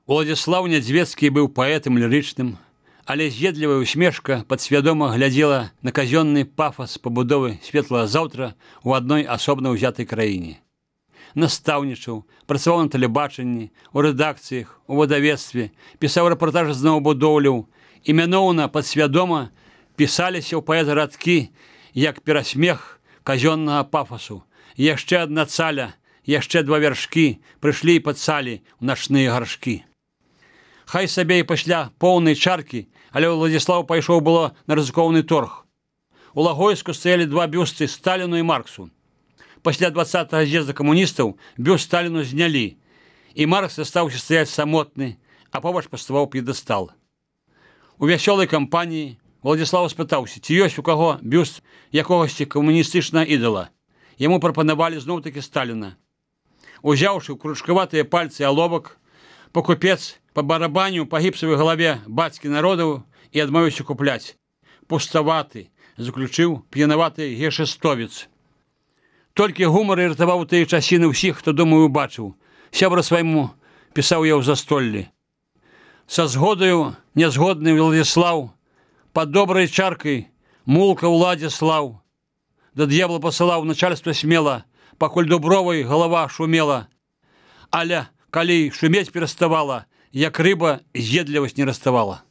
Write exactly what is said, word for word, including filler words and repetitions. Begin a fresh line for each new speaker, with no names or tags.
Уладзіслаў Нядзвецкі быў паэтам лірычным, але з'едлівая усмешка падсвядома глядзела на казённы пафас пабудовы светлага заўтра ў адной асобна ўзятай краіне. Настаўнічаў, працаваў на тэлебачанні, у рэдакцыях, у выдавецтве, пісаў рэпартажы з новабудоўляў, імяноўна падсвядома пісаліся ў паэта радкі, як перасмех казённага пафасу. Яшчэ адна цаля, яшчэ два вяршкі прыйшлі і падсалі ў начныя гаршкі. Хай сабе і пасля поўнай чаркі, але Уладзіслаў пайшоў было на рызыкоўны торг. У Лагойску стаялі два бюсты Сталіну і Марксу. Пасля дваццатага з'езда камуністаў бюст Сталіну знялі, і Маркс застаўся стаяць самотны, а побач паставаў п'едэстал. У вясёлай кампаніі Уладзіслаў спытаўся, ці ёсць у каго бюст якогасьці камуністычнага ідала. Яму прапанавалі зноў-такі Сталіна. Узяўшы ў кручкаватыя пальцы алобак, пакупец па барабаню па гіпсавай галаве бацькі народаў і адмовіўся купляць. Пуставаты, заключыў п'янаваты гешэстовец. Толькі гумар і ратаваў тыя часіны ўсіх, хто, думаю, убачыў. Сябра свайму пісаў я ў застоллі. Са згодаю нязгодны Уладзіслаў, пад добрай чаркай мулка Уладзіслаў. Да д'ябла пасылаў начальства смела, пакуль дубровай галава шумела. Але калі шумець пераставала, як рыба з'едлівасць не раставала.